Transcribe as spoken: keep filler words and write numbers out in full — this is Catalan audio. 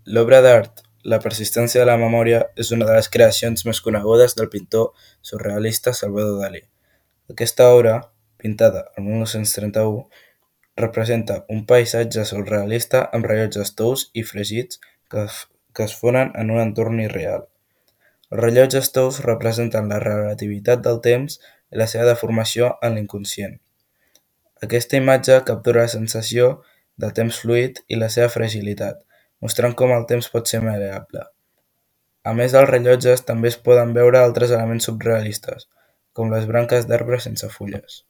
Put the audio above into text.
L'obra d'art La persistència de la memòria és una de les creacions més conegudes del pintor surrealista Salvador Dalí. Aquesta obra, pintada el mil nou-cents trenta-u, representa un paisatge surrealista amb rellotges tous i fregits que, que es fonen en un entorn irreal. Els rellotges tous representen la relativitat del temps i la seva deformació en l'inconscient. Aquesta imatge captura la sensació de temps fluid i la seva fragilitat, mostrant com el temps pot ser mal·leable. A més dels rellotges també es poden veure altres elements surrealistes, com les branques d'arbre sense fulles.